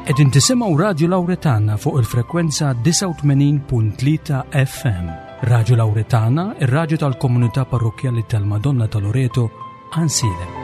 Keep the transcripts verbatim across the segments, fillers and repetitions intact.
Qegħdin tisimgħu Radio Lauretana fuq il-frekwenza disgħa u tmenin punt tlieta F M. Radio Lauretana, ir-radju tal-Komunità Parrokkjali tal-Madonna ta' Loreto, Għajnsielem.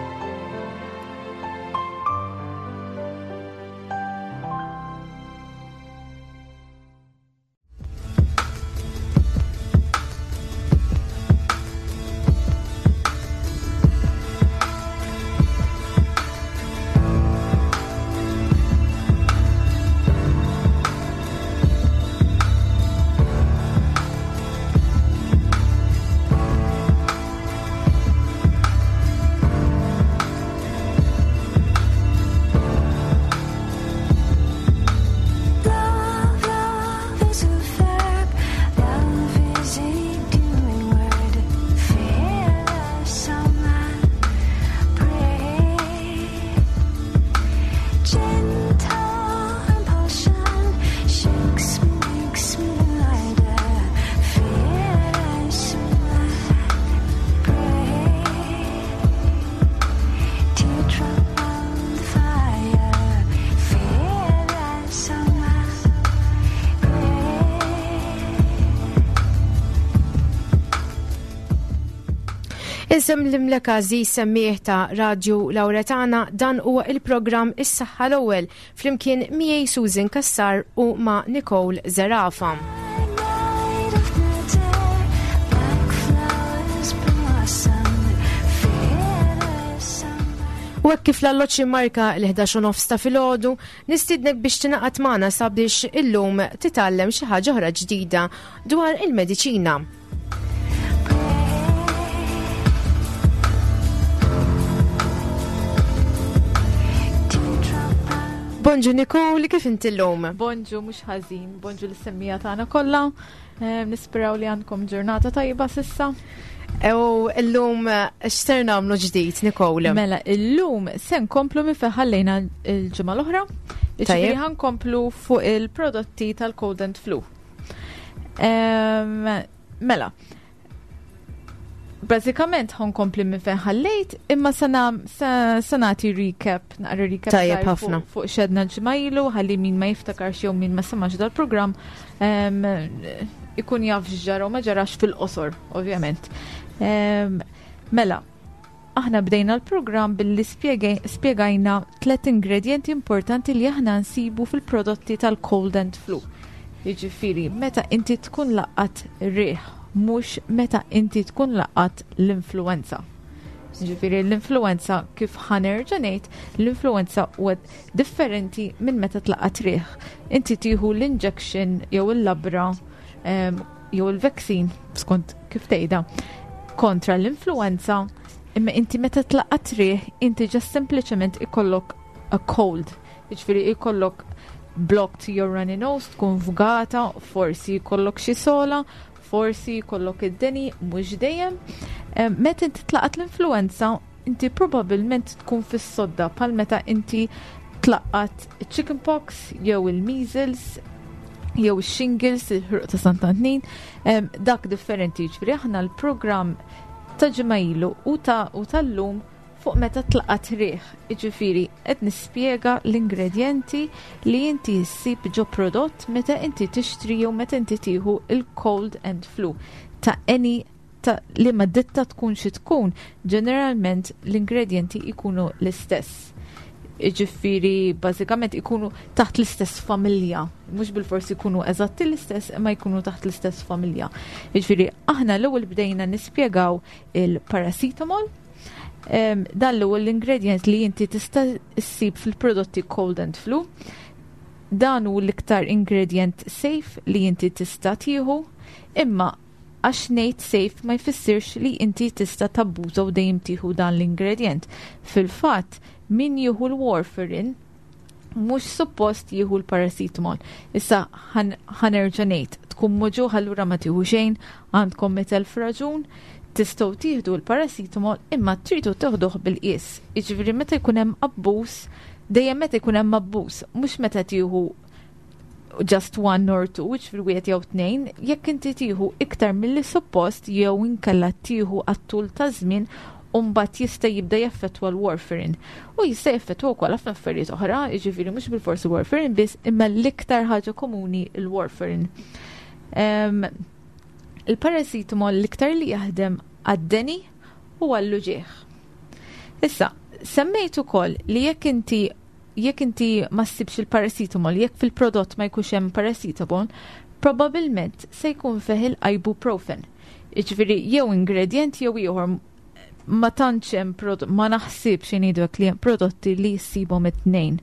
Insellmilek għażiż semmiegħ ta' Radio Lauretana, dan huwa il-programm Is-Saħħa l-Ewwel flimkien miegħi Susan Cassar u ma' Nicole Zerafa. U hekk kif l-alloċ marka l-ħdax u nofs ta' filgħodu, nistiednek biex tingħaqad magħna sabiex illum titgħallem xi ħaġa oħra ġdida dwar il-mediċina. Bonġu Nicole, kif inti llum? Bonġu, mhux ħażin, bonġu lis-semmija tagħna kollha. Eh, nisperaw li għandkom ġurnata tajba s'issa. U llum x'ser nagħmlu ġdid, Nicole? Mela, illum se nkomplu minn fejn ħallejna l-ġimgħa l-oħra. Jiġifieri Tajjeb. ħankomplu fuq il-prodotti tal-cold and flu. Ehm, mela, bażikament ħankompli minn fejn ħallejt, imma se nam-, se-, se nagħti recap, naqra recap Tajjeb żgħir fuq ħafna. fuq xedna l-ġimgħa ilu, ħalli min ma jiftakarx jew min ma semax dal-programm, ehm, ikun jaf x'ġara u ma ġarax fil-qosor, ovvjament. Ehm, mela, aħna bdejna l-programm billi spjegaj-, spjegajna tliet ingredienti importanti li aħna nsibu fil-prodotti tal-cold and flu. Jiġifieri, meta inti tkun laqat riħ, mhux meta inti tkun laqat l-influenza. Jiġifieri l-influenza, kif ħanerġa' ngħid, l-influenza huwa differenti minn meta tlaqat riħ. Inti tieħu l-injection jew il-labra, ehm, jew il-vaccine, skont kif tgħidha, kontra l-influenza, imma inti meta tlaqat riħ, inti ġast sempliċement ikollok a cold. Jiġifieri ikollok blocked your runny nose, tkun fgata, forsi jkollok xi sola, forsi jkollok id-deni, mhux dejjem. Em, meta inti tlaqat l-influenza, inti probabbilment tkun fis-sodda bħal meta inti tlaqat chickenpox jew il-measles jew il-shingles, il-ħruq ta' Sant'Antnin, em, dak differenti. Ġifieri aħna l-programm ta' ġimgħa ilu u ta' u tal-lum fuq meta tlaqat riħ. Jiġifieri qed nispjega l-ingredjenti li inti ssib ġo prodott meta inti tixtri jew meta inti tieħu il-cold and flu ta' any ta' li ma ditta tkun xi tkun, ġeneralment l-ingredjenti ikunu l-istess. Jiġifieri bażikament ikunu taħt l-istess familja, mhux bilforsi ikunu eżatti l-istess, imma jkunu taħt l-istess familja. Jiġifieri aħna l-ewwel bdejna nispjegaw il-paracetamol. Em, dan l-ewwel l-ingredient li inti tista' ssib fil-prodotti cold and flu. Dan hu l-iktar ingredient safe li inti tista' tieħu, imma għax ngħid safe ma jfissirx li inti tista' tabbuża u dejjem tieħu dan l-ingredient. Fil-fatt, min jieħu l-warfarin mhux suppost jieħu l-paracetamol. Issa ħan-, ħanerġa' ngħid, tkun muġugħ allura ma tieħu xejn, għandkom mitt elf raġun, tistgħu tieħdu l-paracetamol imma tridu teħduh bil-qies. Jiġifieri meta jkun hemm abbuż, dejjem meta jkun hemm abbuż, mhux meta tieħu just one or two, jiġifieri wieħed jew tnejn, jekk inti tieħu iktar milli suppost jew inkella tieħu għat-tul ta' żmien U mbagħad jista' jibda jaffettwa l-warfarin. U jista' jaffettwa wkoll ħafna affarijiet oħra, jiġifieri mhux bilfors il-warfarin biss, imma l-iktar ħaġa komuni il-warfarin. Um, il-paracetamol l-iktar li jaħdem għad-deni u għall-uġieħ. Issa, semmejt ukoll li jekk inti jekk inti ma ssibx il-paracetamol, jekk fil-prodott ma jkunx hemm paracetamol, probabilment se jkun fih il-ibuprofen. Jiġifieri jew ingredient jew ieħor, ma tantx hemm, ma naħsibx ngħidu li hemm prodotti li jsibhom it-tnejn,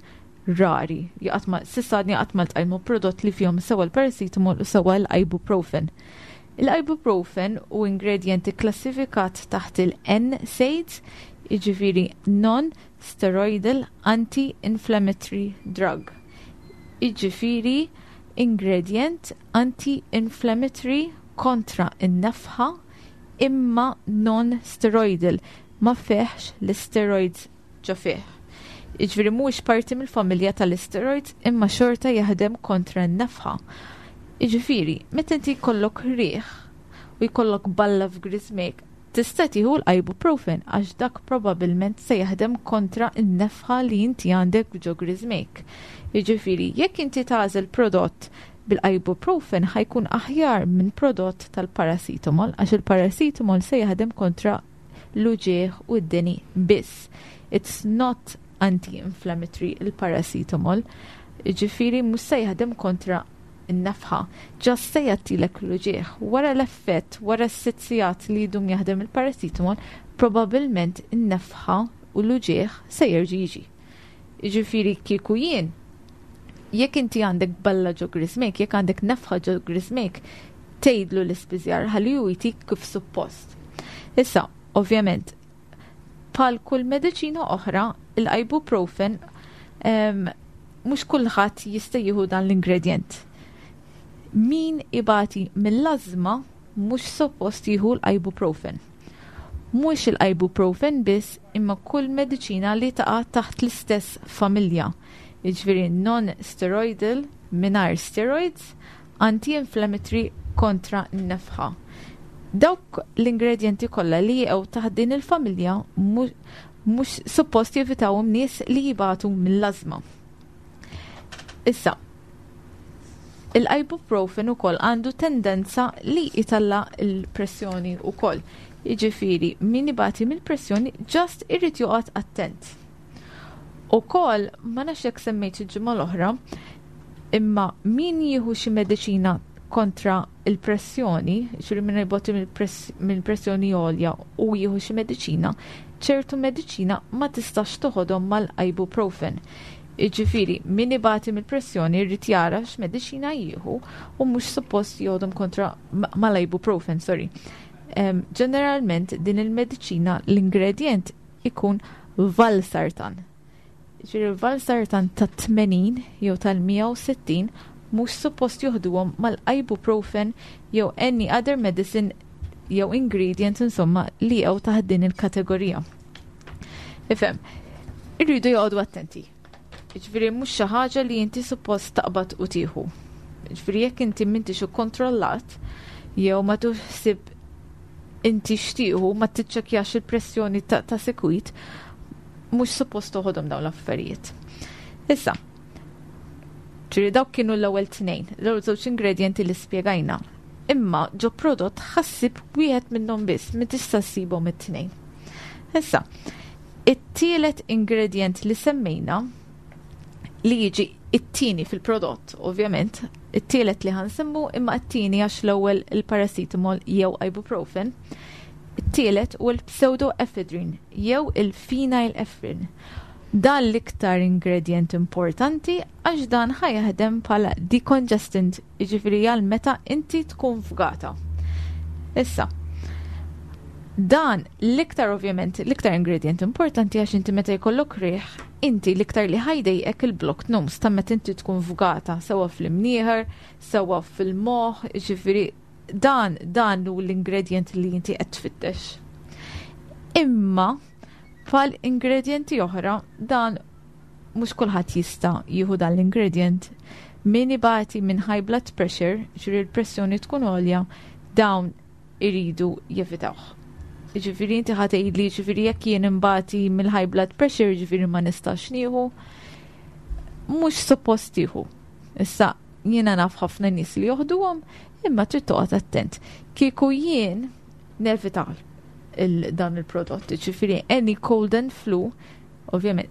rari. Jaqat ma s'issa għadni qatt ma ltqajt prodott li fihom sewa l-paracetamol u sewa l-ibuprofen. Il-ibuprofen hu ingredient klassifikat taħt il-N SAIDs, jiġifieri non-steroidal anti-inflammatory drug. Jiġifieri ingredient anti-inflammatory kontra in-nefħa imma non-steroidal, ma fihx l-steroids ġo fih. Jiġifieri mhux parti mill-familja tal-steroids imma xorta jaħdem kontra n-nefħa. Jiġifieri, meta inti jkollok riħ u jkollok balla f'griżmejk, tista' tieħu l-ibuprofen għax dak probabbilment se jaħdem kontra n-nefħa li inti għandek ġo griżmejk. Jiġifieri, jekk inti tagħżel prodott bil-ibuprofen, ħa jkun aħjar minn prodott tal-paracetamol għax il-paracetamol se jaħdem kontra l-uġieħ u d-deni biss. It's not anti-inflammatory, il-paracetamol. Jiġifieri mhux se jaħdem kontra n-nefħa, just se jgħattilek l-uġieħ. Wara l-effett, wara s-sitt sigħat li jdum jaħdem il-paracetamol, probabilment n-nefħa u l-uġieħ se jerġa' jiġi. Jiġifieri kieku jien, jekk inti għandek balla ġo griżmejk, jekk għandek nefħa ġo griżmejk, tgħidlu l-ispiżjar ħalli hu jtik kif suppost. Issa, ovvjament, bħal kull mediċina oħra, il-ibuprofen mhux kulħadd jista' jieħu dan l-ingredient. Min ibati mill-azma mhux suppost jieħu l-ibuprofen. Mhux il-ibuprofen biss imma kull mediċina li taqa' taħt l-istess familja. Jiġifieri non-steroidal, mingħajr steroids, anti-inflammatory kontra n-nefħa. Dawk l-ingredienti kollha li jaqgħu taħt din il-familja mhux suppost jevitawhom nies li jibatu mill-azma. Issa, il-ibuprofen ukoll għandu tendenza li jtella' il-pressjoni ukoll. Jiġifieri, min ibati mill-pressjoni just irid joqgħod attent. Ukoll, ma nafx jekk semmejt il-ġimgħa l-oħra, imma min jieħu xi mediċina kontra il-pressjoni, ġifieri min ibati mill-pressjoni għolja u jieħu xi mediċina, ċertu mediċina ma tistax toħodhom mal-ibuprofen. Jiġifieri, min ibati mill-pressjoni jrid jara x'mediċina jieħu u mhux suppost joħodhom kontra mal-ibuprofen, sorry. Ġeneralment din il-mediċina l-ingredient ikun valsartan. Ġifieri valsartan ta' tmenin jew tal-mija u sittin mhux suppost joħduhom mal-ibuprofen jew any other medicine jew ingredient insomma li jew taħt din il-kategorija. Ifhem, irridu joqogħdu attenti. Ġifieri mhux xi ħaġa li inti suppost taqbad u tieħu. Ġifieri jekk inti m'intix ikkontrollat jew ma tuħsib inti x'tieħu, ma tiċċekkjax il-pressjoni ta', ta sikwit, mhux suppost toħodhom dawn l-affarijiet. Issa, ġifieri dawk kienu l-ewwel tnejn, l-ewwel żewġ ingredienti li spjegajna. Imma ġo prodott ħa ssib wieħed minnhom biss, ma tista' ssibhom it-tnejn. Issa, it-tielet ingredient li semmejna li jiġi it-tieni fil-prodott, ovvjament, it-tielet li ħa nsemmu imma it-tieni għax l-ewwel il-paracetamol jew ibuprofen, it-tielet u l-pseudoephedrine jew il-phenylephrine. Dan l-iktar ingredient importanti għax dan ħa jaħdem bħala decongestant, jiġifieri għal meta inti tkun fgata. Issa, dan l-iktar, ovvjament, l-iktar ingredient importanti għax inti meta jkollok riħ, inti l-iktar li ħa jdejqek il-blocked nose ta' meta inti tkun fgata, sewa fl-imnieħer, sewa fil-moħħ, ġifieri dan dan hu l-ingredient li inti qed tfittex. Imma bħal ingredienti oħra, dan mhux kulħadd jista' jieħu dan l-ingredient. Min ibati minn high blood pressure, ġifieri l-pressjoni tkun għolja, dawn iridu jevitawh. Ġifieri inti ħa tgħidli, ġifieri jekk jien imbati mill-high blood pressure, ġifieri ma nistax nieħu. Mhux suppost tieħu. Issa jiena naf ħafna nies li joħduhom, imma trid toqgħod attent. Kieku jien nevita il dan il-prodott, ġifieri any cold and flu, ovvjament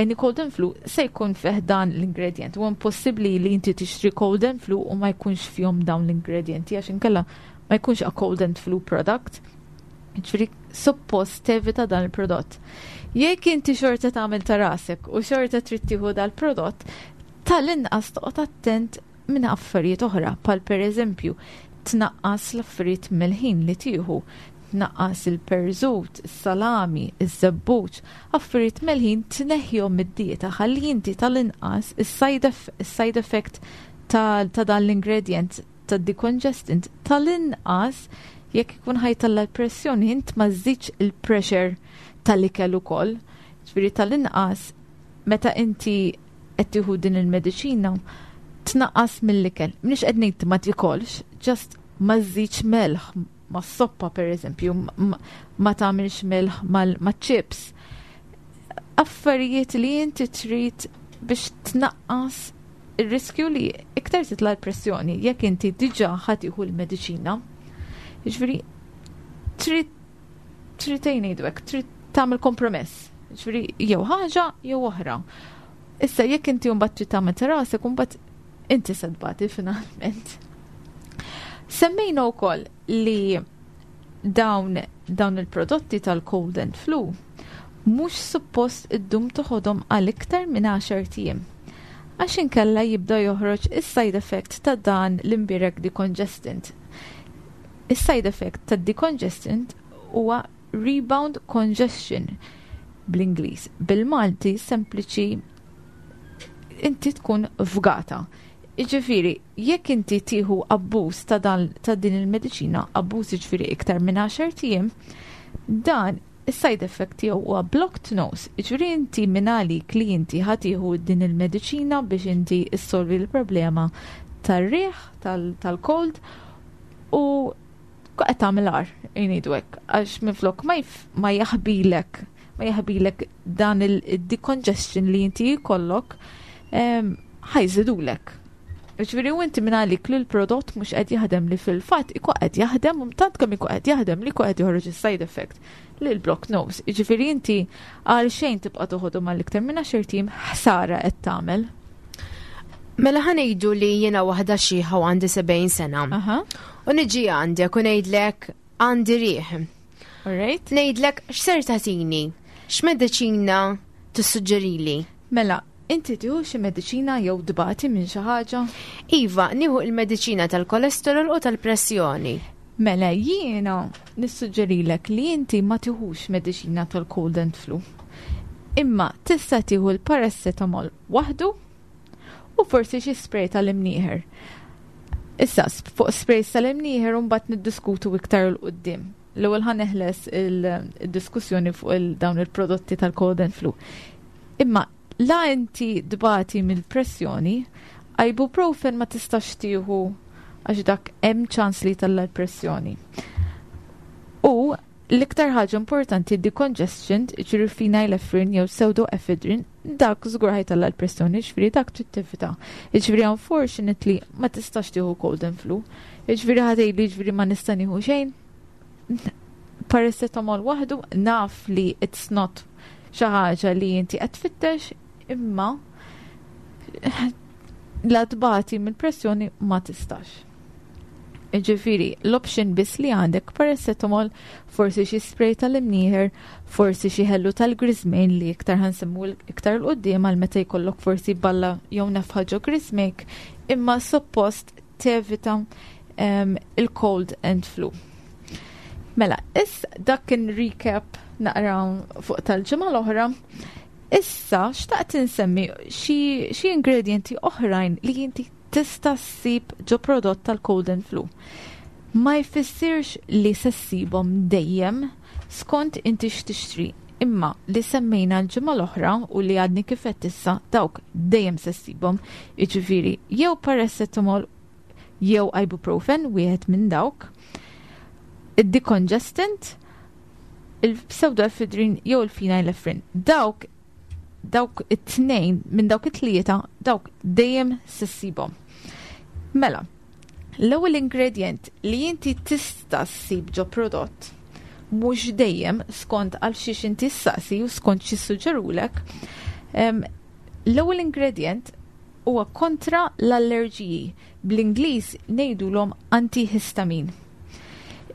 any cold and flu se jkun fih dan l-ingredient. U impossibbli li inti tixtri cold and flu u ma jkunx fihom dawn l-ingredienti, għax inkella ma jkunx a cold and flu product. Ġifieri suppost tevita dan il-prodott. Jekk inti xorta tagħmel ta' rasek u xorta trid tieħu dal-prodott, tal-inqas toqgħod attent minn affarijiet oħra, pal per eżempju tnaqqas l-affarijiet mill-ħin li tieħu, tnaqqas il-perżut, is-salami, iż-żebbuġ, affarijiet melħin tneħħihom mid-dieta ħalli inti tal-inqas is-side effect ta' ta' dan l-ingredient ta' decongestant, tal-inqas jekk ikun ħa jtella' l-pressjoni, int ma żżidx il-pressure tal-ikel ukoll. Ġifieri tal-inqas meta inti qed tieħu din il-mediċina tnaqqas mill-ikel. M'iniex qed ngħid ma tikolx, just ma żżidx melħ ma' soppa per eżempju, ma tagħmilx melħ ma' chips. Affarijiet li inti trid biex tnaqqas il-riskju li iktar titla' l-pressjoni jekk inti diġà ħa tieħu l-mediċina. Ġifieri trid trid ngħidu hekk, trid tagħmel kompromess. Ġifieri jew ħaġa jew oħra. Issa jekk inti mbagħad trid tagħmel ta' rasek, mbagħad inti se tbati finalment. Semmejna wkoll li dawn dawn il-prodotti tal-cold and flu mhux suppost iddum toħodhom għal iktar minn għaxart ijiem. Għax inkella jibda joħroġ is-side effect ta' dan l-imbirek decongestant. Is-side effect ta' decongestant huwa rebound congestion bl-Ingliż. Bil-Malti sempliċi, inti tkun fgata. Iġifieri, jekk inti tieħu abbuż ta', dan, ta' din il-mediċina, abbuż iġifieri iktar minn għaxart ijiem, dan is-side effect tiegħu huwa blocked nose. Iġifieri inti minn għalik li inti ħa tieħu din il-mediċina biex inti issolvi l-problema tar-riħ, tal-cold, u qed tagħmel agħar, ngħidu hekk, għax minflok ma, ma jaħbilek ma jaħbilek dan il-decongestion li inti jkollok, ħa jżidulek. Ġifieri u inti minn għalik li l-prodott mhux qed jaħdem, li fil-fatt ikun qed jaħdem, u tant kemm ikun qed jaħdem li ikun qed joħroġ is-side effect li l-block nose. Ġifieri inti għal xejn tibqa' toħodu mal-iktar minn għaxart ijiem, ħsara qed tagħmel. Mela ħa ngħidu li jiena waħda xiħa u għandi sebgħin sena. U niġi għandek u ngħidlek għandi riħ. Alright. Ngħidlek, x'ser tagħtini? X'mediċina tissuġġerili? Mela, inti tieħu xi mediċina jew tbati minn xi ħaġa? Iva, nieħu il-mediċina tal-kolesterol u tal-pressjoni. Mela jiena nissuġġerilek li inti ma tieħux mediċina tal-cold and flu. Imma tista' tieħu l-paracetamol waħdu u forsi xi spray tal-imnieħer. Issa, fuq spray tal-imnieħer mbagħad niddiskutu iktar 'il quddiem. L-ewwel ħa neħles il-diskussjoni fuq il dawn il-prodotti tal-cold and flu. Imma la inti tbati mill-pressjoni, ibuprofen ma tistax tieħu għax dak hemm ċans li ttella' l-pressjoni. U l-iktar ħaġa importanti, decongestion, ġifieri phenylephrine jew pseudoephedrine, dak żgur ħa jtella' l-pressjoni, ġifieri dak trid tevita. Ġifieri unfortunately ma tistax tieħu cold and flu. Ġifieri ħa tgħidli, ġifieri ma nista' nieħu xejn. Paracetamol waħdu, naf li it's not xi ħaġa li inti qed tfittex, imma la tbati mill-pressjoni ma tistax. Ġifieri, l-option biss li għandek paracetamol, forsi xi spray tal-imnieħer, forsi xi ħellu tal-griżmejn li iktar ħa nsemmu iktar 'il quddiem għal meta jkollok forsi balla jew nefħa ġo griżmejk, imma suppost tevita um, il-cold and flu. Mela, issa dak kien recap naqra fuq tal-ġimgħa l-oħra. Issa xtaqt insemmi xi xi ingredienti oħrajn li inti tista' ssib ġo prodott tal-cold and flu. Ma jfissirx li se ssibhom dejjem, skont inti x'tixtri. Imma li semmejna l-ġimgħa l-oħra u li għadni kif issa, dawk dejjem se ssibhom. Jiġifieri jew paracetamol jew ibuprofen, wieħed minn dawk. Id-decongestant, Il-pseudoephedrine jew il-phenylephrine. Dawk dawk it-tnejn minn dawk it-tlieta, dawk dejjem se ssibhom. Mela, l-ewwel ingredient li inti tista' ssib ġo prodott, mhux dejjem, skont għal xiex inti ssaqsi u skont xi suġġerulek, l-ewwel ingredient huwa kontra l-allerġiji, bl-Ingliż ngħidulhom antihistamine.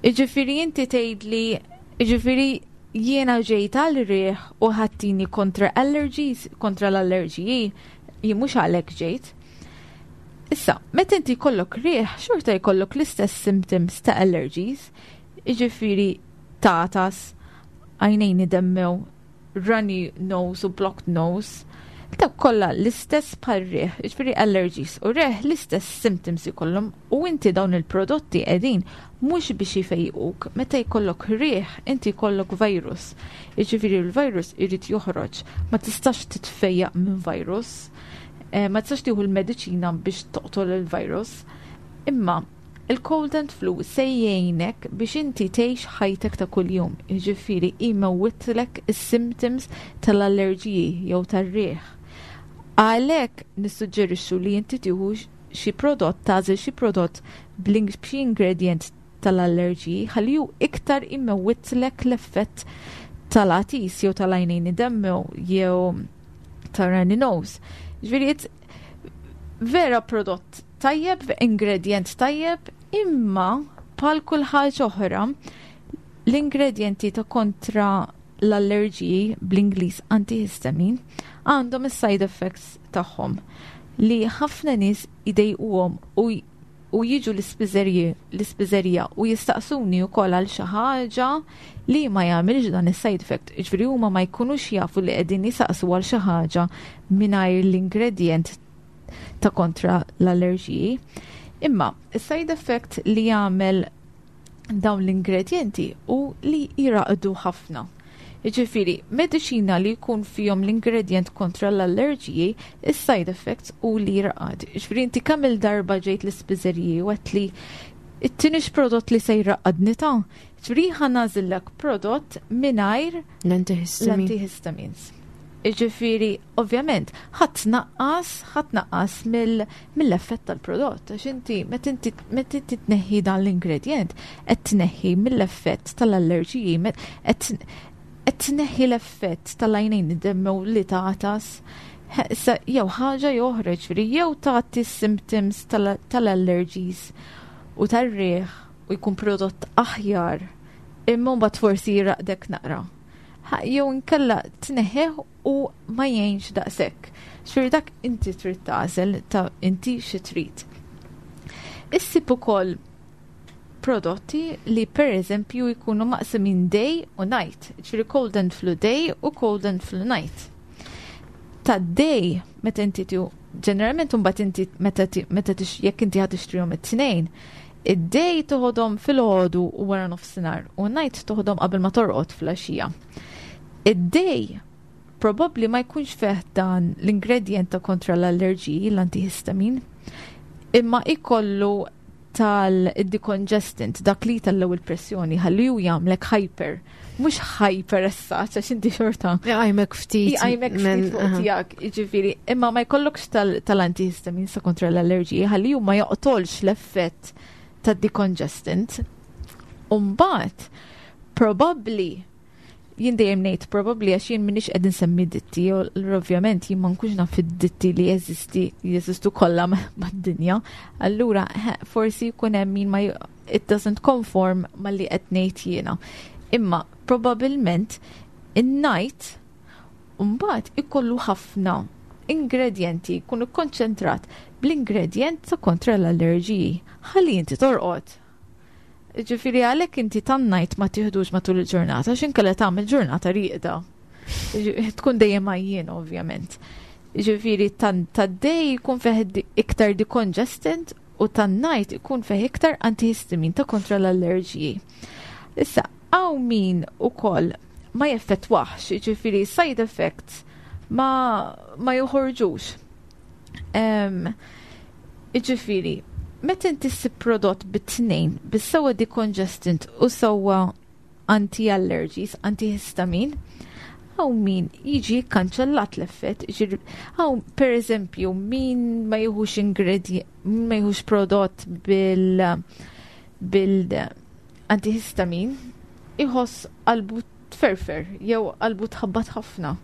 Iġifieri inti tgħidli, iġifieri jiena ġejt għal riħ u ħa ttini kontra allergies, kontra l-allerġiji, jien mhux għalhekk ġejt. Issa, meta inti jkollok riħ, xorta jkollok l-istess symptoms ta' allergies, iġifieri tagħtas, għajnejn idemmew, runny nose u blocked nose, ta' kollha l-istess bħal riħ, iġifieri allergies u riħ l-istess symptoms ikollhom. U inti dawn il-prodotti qegħdin mhux biex jfejquk. Meta jkollok riħ, inti jkollok virus. Iġifieri l-virus irid joħroġ, ma tistax titfejjaq minn virus, eh, ma tistax tieħu l-mediċina biex toqtol il-virus. Imma il-cold and flu se jgħinek biex inti tgħix ħajtek ta' kuljum, jiġifieri imewwitlek is-symptoms tal-allerġiji jew tar-riħ. Għalhekk nissuġġerixxu li inti tieħu xi prodott, tagħżel xi prodott b'xi ingredient tal-allerġiji ħalli hu iktar imewwitlek l-effett tal-għatis jew tal-għajnejn idemmew jew ta' runny nose. Ġifieri vera prodott tajjeb, ingredient tajjeb, imma bħal kull ħaġa oħra, l-ingredienti ta' kontra l-allerġiji, bl-Ingliż antihistamine, għandhom is-side effects tagħhom li ħafna nies idejquhom u u jiġu l-ispiżerija u jistaqsuni wkoll għal xi ħaġa li ma jagħmilx dan is-side effect. Ġifieri huma ma jkunux jafu li qegħdin jisaqsu għal xi ħaġa mingħajr l-ingredient ta' kontra l-allerġiji. Imma is-side effect li jagħmel dawn l-ingredienti u li jiraqdu ħafna. Jiġifieri, mediċina li jkun fihom l-ingredient kontra l-allerġiji, is-side effects u li jiraqad. Jiġifieri inti kemm il-darba ġejt l-ispiżeriji u għedtli ttinix prodott li se jraqadni ta'. Ġifieri ħa nagħżillek prodott mingħajr l-antihistamine. L-antihistamines. Iġifieri, ovvjament, ħa tnaqqas, ħa tnaqqas mill-effett tal-prodott. Għax inti, meta inti meta inti tneħħi dan l-ingredient, qed tneħħi mill-effett tal-allerġiji, qed qed tneħħi l-effett tal-għajnejn idemmew li tagħtas. Issa jew ħaġa jew oħra, ġifieri jew tagħti symptoms tal-allergies u tar-riħ u jkun prodott aħjar, imma mbagħad forsi jiraqdek naqra. Jew inkella tneħħih u ma jgħinx daqshekk. Ġifieri dak inti trid tagħżel ta' inti xi trid. Issib ukoll prodotti li per eżempju jkunu maqsumin day u night, ġifieri cold and flu day u cold and flu night. Ta' day, meta inti tu ġeneralment mbagħad inti meta meta jekk inti ħa tixtrihom it-tnejn, id-day toħodhom filgħodu u wara nofsinhar u night toħodhom qabel ma torqod fil-għaxija. Id-day probabbli ma jkunx fih dan l-ingredient ta' kontra l-allerġiji, l-antihistamine, imma ikollu tal-decongestant, dak li tal-ewwel pressjoni, ħalli hu jagħmlek hyper. Mhux hyper issa, għax inti xorta. Jgħajmek ftit. Jgħajmek ftit fuq tiegħek, jiġifieri, imma ma jkollokx tal-antihistamine sa kontra l-allerġiji, ħalli hu ma joqtolx l-effett tad-decongestant. Umbagħad, probabbli, jien dejjem ngħid probabbli għax jien m'iniex qed insemmi ditti, u ovvjament jien ma nkunx naf id-ditti li jeżisti jeżistu kollha mad-dinja. Allura forsi jkun hemm min ma it doesn't conform malli qed ngħid jiena. Imma probabbilment in-night mbagħad ikollu ħafna ingredienti, jkunu konċentrat bl-ingredient ta' kontra l-allerġiji. Ħalli inti torqod. Ġifieri għalhekk inti tan-night ma tieħdux matul il-ġurnata, x'inkella tagħmel ġurnata rieqda. Tkun dejjem għajjien, ovvjament. Ġifieri tad-day jkun fih iktar decongestant u tan-night ikun fih iktar antihistamine ta' kontra l-allerġiji. Issa, hawn min ukoll ma jeffettwax, ġifieri side effects ma, ma joħorġux. Um, ġifieri, meta inti ssib prodott bit-tnejn, bis-sewwa decongestant u sewwa anti-allergies, anti-histamine, hawn min jiġi kanċellat l-effett. Hawn, per eżempju, min ma jieħux ingredient, ma jieħux prodott bil bil antihistamin, iħoss qalbu tferfer jew qalbu tħabbat ħafna.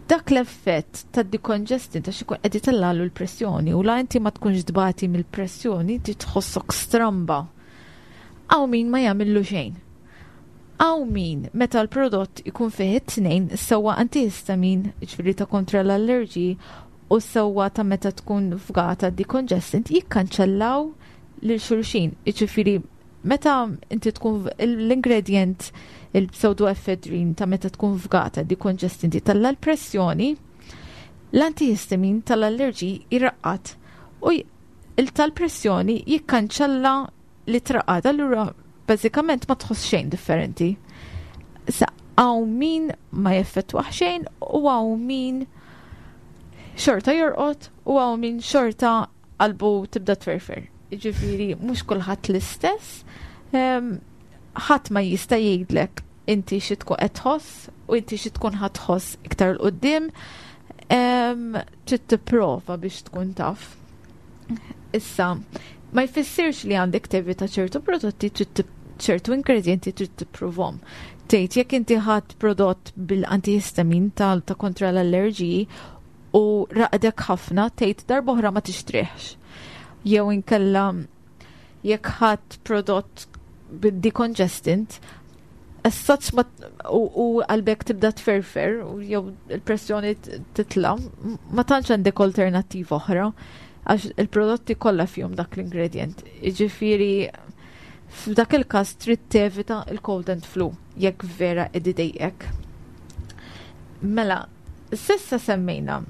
Dak l-effett ta' decongestant ta' xikun qed itellalu l-pressjoni u la inti ma tkunx tbati mill-pressjoni, inti tħossok stramba. Hawn min ma jagħmillu xejn. Hawn min meta l-prodott ikun fih it-tnejn, sewwa antihistamin, ġifieri ta' kontra l-allerġi, u sewwa ta' meta tkun fgata decongestant, jikkanċellaw lil xulxin. Ġifieri meta inti tkun l-ingredient il-pseudoephedrine ta' meta tkun fgata decongestant tella' l-pressjoni, l-antihistamin tal-allerġi jraqqad u il tal-pressjoni jikkanċella li traqqad, allura bażikament ma tħoss xejn differenti. Sa hawn min ma jeffettwaħ xejn u hawn min xorta jorqod u hawn min xorta qalbu tibda tferfer. Ġifieri mhux kulħadd l-istess. Ħadd ma jista' jgħidlek inti xi tkun qed tħoss u inti xi tkun ħa tħoss iktar 'il quddiem. Trid tipprova biex tkun taf. Issa, ma jfissirx li għandek tevita ċertu prodotti, ċertu ingredienti trid tipprovhom. Tgħid jekk inti ħadd prodott bil-antihistamin tal ta' kontra l-allerġiji u raqdek ħafna, tgħid darba oħra ma tixtrihx. Jew inkella jekk ħadd prodott bid-decongestant as such ma u qalbek tibda tferfer u jew il-pressjoni titla, ma tantx għandek alternattiva oħra għax il-prodotti kollha fihom dak l-ingredient. Jiġifieri f'dak il-każ trid tevita il-cold and flu jekk vera qed idejqek. Mela, s'issa semmejna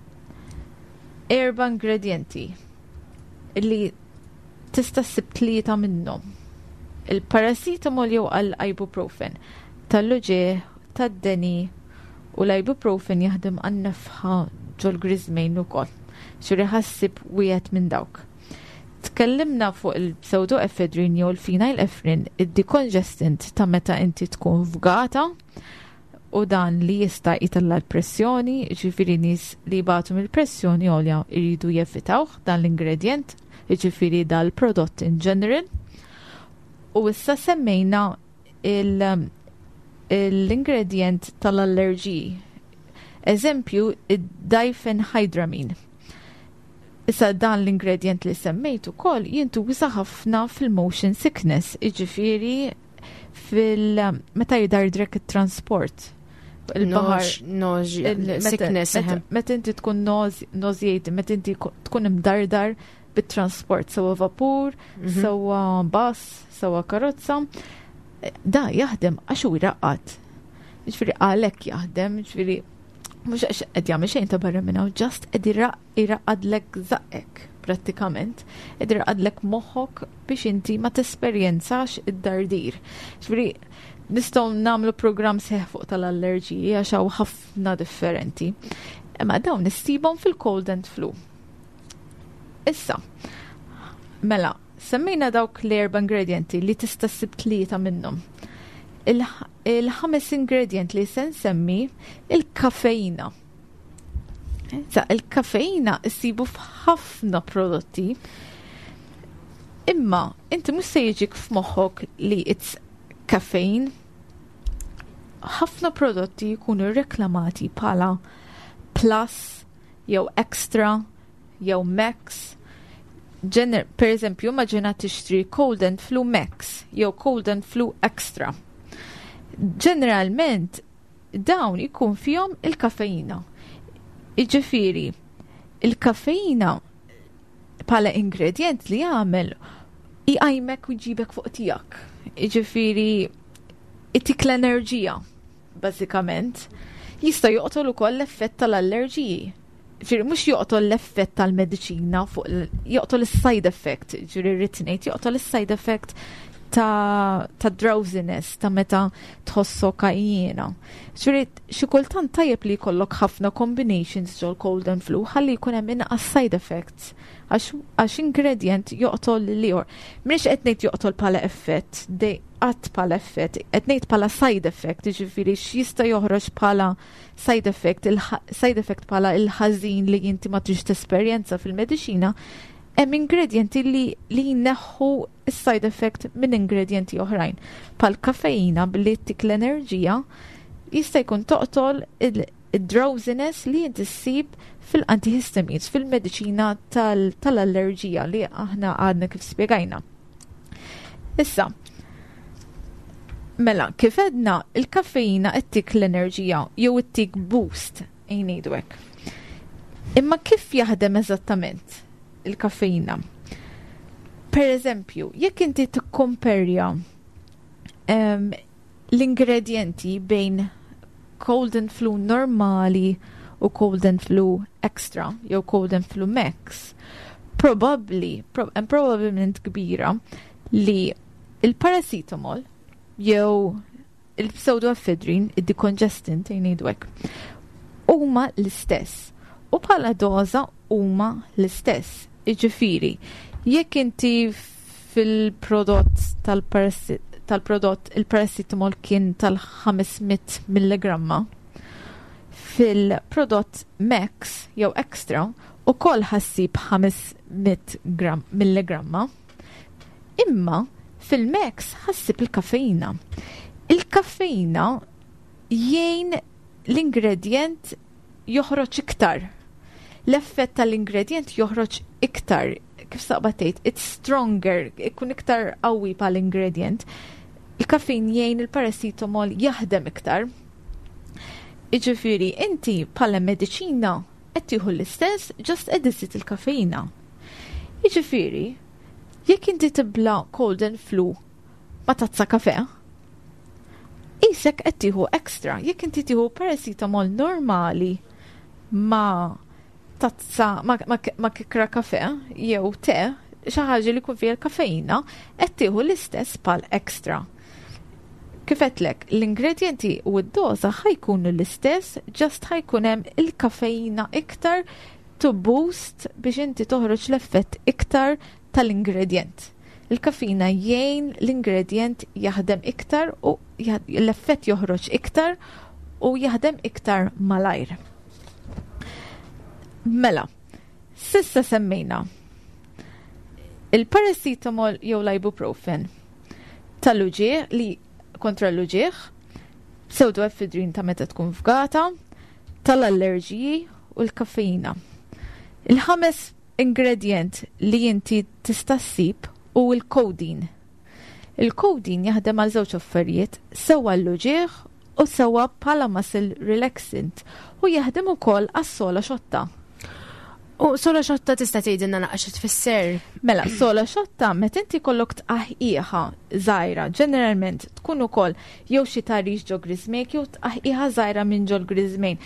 erba' ingredienti li tista' ssib tlieta minnhom. Il-paracetamol jew għal-ibuprofen tal-uġigħ, tad-deni, u l-ibuprofen jaħdem għan-nefħa ġol-griżmejn ukoll. Ġifieri ħa ssib wieħed minn dawk. Tkellimna fuq il-pseudoephedrine jew il-phenylephrine, id-decongestant ta' meta inti tkun fgata u dan li jista' jtella' l-pressjoni, ġifieri nies li jbatu mill-pressjoni għolja jridu jevitawh dan l-ingredient, ġifieri dal-prodott in general. U issa semmejna l-ingredient tal-allerġiji. Eżempju, id-diphenhydramine. Issa dan l-ingredient li semmejt ukoll jintuża ħafna fil-motion sickness, jiġifieri fil meta jidardrek it-transport. Il-baħar. Sickness. Meta inti tkun nauseated, meta inti tkun imdardar bit-transport, sewa vapur, mhm. sewa bus, sewa karozza, da jaħdem għax hu jraqqad. Ġifieri għalhekk jaħdem, ġifieri mhux għax qed jagħmel xejn ta' barra minn hawn, just qed iraqqadlek żaqqek prattikament, qed iraqqadlek moħħok biex inti ma tesperjenzax id-dardir. Ġifieri nistgħu nagħmlu programm sħiħ fuq tal-allerġiji għax hawn ħafna differenti. Imma dawn issibhom fil-cold and flu. Issa, mela, semmejna dawk l-erba ingredienti li tista' ssib tlieta minnhom. Il-ħames ingredient li se nsemmi, il-kafeina. Sa, il-kafeina issibu f'ħafna prodotti. Imma inti mhux se jiġik f'moħħok li it's caffeine. Ħafna prodotti jkunu reklamati bħala plus jew extra jew max. Ġener, per eżempju, immaġina tixtri Cold and Flu Max jew Cold and Flu Extra. Ġeneralment dawn ikun fihom il-kafeina. Iġifieri, il-kafeina bħala ingredient li jagħmel iqajmek u jġibek fuq tiegħek. Iġifieri itik l-enerġija, bażikament. Jista' joqtol ukoll l-effett tal-allerġiji. Ġifieri mhux joqtol l-effett tal-mediċina fuq joqtol is-side effect, ġifieri rrid ngħid joqtol is-side effect ta', ta drowsiness, ta' meta tħossok għajjiena. Ġifieri xi kultant tajjeb li jkollok ħafna combinations ġol cold and flu ħalli jkun hemm inqas side effects għax ingredient joqtol l-ieħor. Mhix qed ngħid joqtol bħala effett, qatt bħala effett, qed ngħid bħala side effect, jiġifieri x'jista' joħroġ bħala side effect, il-side effect bħala il-ħażin li inti ma tridx tesperjenza fil-mediċina, hemm ingredienti li li jneħħu is-side effect minn ingredienti oħrajn. Bħal kaffeina billi ttik l-enerġija jista' jkun toqtol il-drowsiness li inti ssib fil-antihistamines, fil-mediċina tal-allerġija li aħna għadna kif spjegajna. Issa, mela, kif għedna, il-kaffeina ttik l-enerġija jew ittik boost, ngħidu hekk. Imma kif jaħdem eżattament il-kaffeina? Per eżempju, jekk inti tikkomperja um, l-ingredienti bejn cold and flu normali u cold and flu extra jew cold and flu max, probably, pro hemm probabbilment kbira li il-paracetamol jew il-pseudoephedrine, id-decongestant, ngħidu hekk, huma l-istess. U bħala doża huma l-istess. Jiġifieri, jekk inti fil-prodott tal-prodott il-paracetamol kien tal-ħames mitt milligramma, fil-prodott Max jew Extra ukoll ħa ssib ħames mitt milligramma, imma fil-Max ħa ssib il-kaffeina. Il-kaffeina jgħin l-ingredient joħroġ iktar. L-effett tal-ingredient joħroġ iktar, kif taqbad tgħid, it's stronger, ikun iktar qawwi pal-ingredient. Il-kaffein jgħin il-paracetamol jaħdem iktar. Jiġifieri, inti bħala mediċina qed tieħu l-istess, just qed il-kaffeina. Jiġifieri, jekk inti tibla cold and flu ma tazza kafe, qisek qed tieħu extra. Jekk inti tieħu paracetamol normali ma tazza ma, ma, ma kikra kafe jew te, xi ħaġa li jkun fiha l-kaffeina, qed tieħu l-istess bħal extra. Kif għedtlek, l-ingredienti u d-doza ħa jkunu l-istess, just ħa jkun hemm il-kaffeina iktar to boost biex inti toħroġ l-effett iktar tal-ingredient. Il-kaffeina jgħin l-ingredient jaħdem iktar u l-effett joħroġ iktar u jaħdem iktar malajr. Mela, s'issa semmejna il-paracetamol jew l-ibuprofen tal-uġieħ li kontra l-uġieħ, pseudoephedrine ta' meta tkun fgata, tal-allerġiji u l-kaffeina. Il-ħames ingredient li inti tista' ssib hu l-codeine. Il-codeine jaħdem għal żewġ affarijiet, sewa l-uġieħ u sewa bħala muscle relaxant, u jaħdem ukoll għas-sola xotta. U sola xotta tista' tgħidilna naqra xi tfisser? Mela, sola xotta, meta inti kollok tqaħqiħa żgħira, ġeneralment tkun ukoll jew xi tagħrix ġo griżmejk jew tqaħqiħa żgħira minn ġol griżmejn.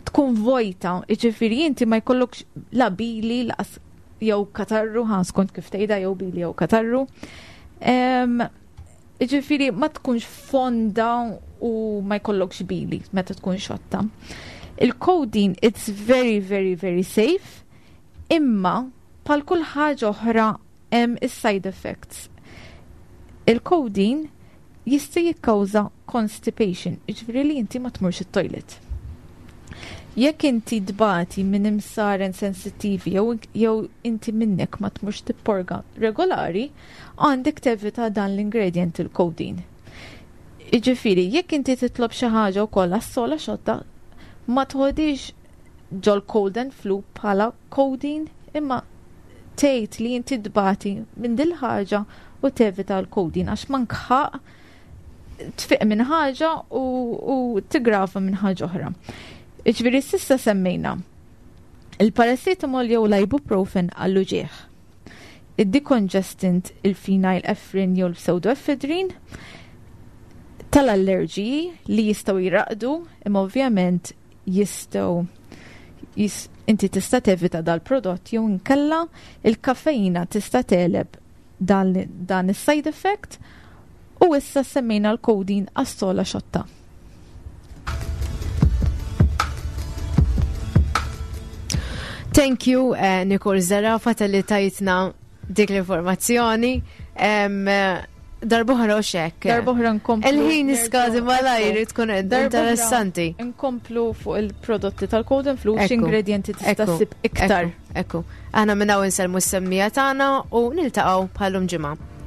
Tkun vojta, jiġifieri inti ma jkollokx la bili laqas jew katarru, ħa skont kif tgħidha, jew bili jew katarru. Jiġifieri ma tkunx fonda u ma jkollokx bili meta tkun xotta. Il-codeine, it's very, very, very safe, imma bħal kull ħaġa oħra hemm is-side effects. Il-codeine jista' jikkawża constipation, jiġifieri li inti ma tmurx it-toilet. Jekk inti tbati minn imsaren sensittivi jew jew inti minnek ma tmurx tipporga regolari, għandek tevita dan l-ingredient, il-codeine. Jiġifieri, jekk inti titlob xi ħaġa wkoll għas-sola xotta, ma tħodix ġol cold and flu bħala codeine, imma tgħid li inti tbati minn dil ħaġa u tevita l-codeine, għax mank tfiq minn ħaġa u, u tigrava minn ħaġa oħra. Jiġifieri s'issa semmejna il-paracetamol jew l-ibuprofen għall-uġieħ, id-decongestant il-phenylephrine jew l-pseudoephedrine, tal-allerġiji li jistgħu jiraqdu, imma ovvjament jistgħu jis, inti tista' tevita dal-prodott jew inkella il-kaffeina tista' tegħleb dan, dan is-side effect, u issa semmejna l-codeine għas-sola xotta. Thank you, uh, Nicole Zerafa, tal-li tajtna dik l-informazzjoni. Um, Darb'oħra u xek. Darb'oħra nkomplu. Il-ħin iskadi malajr tkun interessanti. Nkomplu fuq il-prodotti tal-cold and flu, x'ingredienti tista' ssib iktar. Ekku. Aħna minn hawn insellmu s-semmiegħa tagħna u niltaqgħu bħal-lum ġimgħa.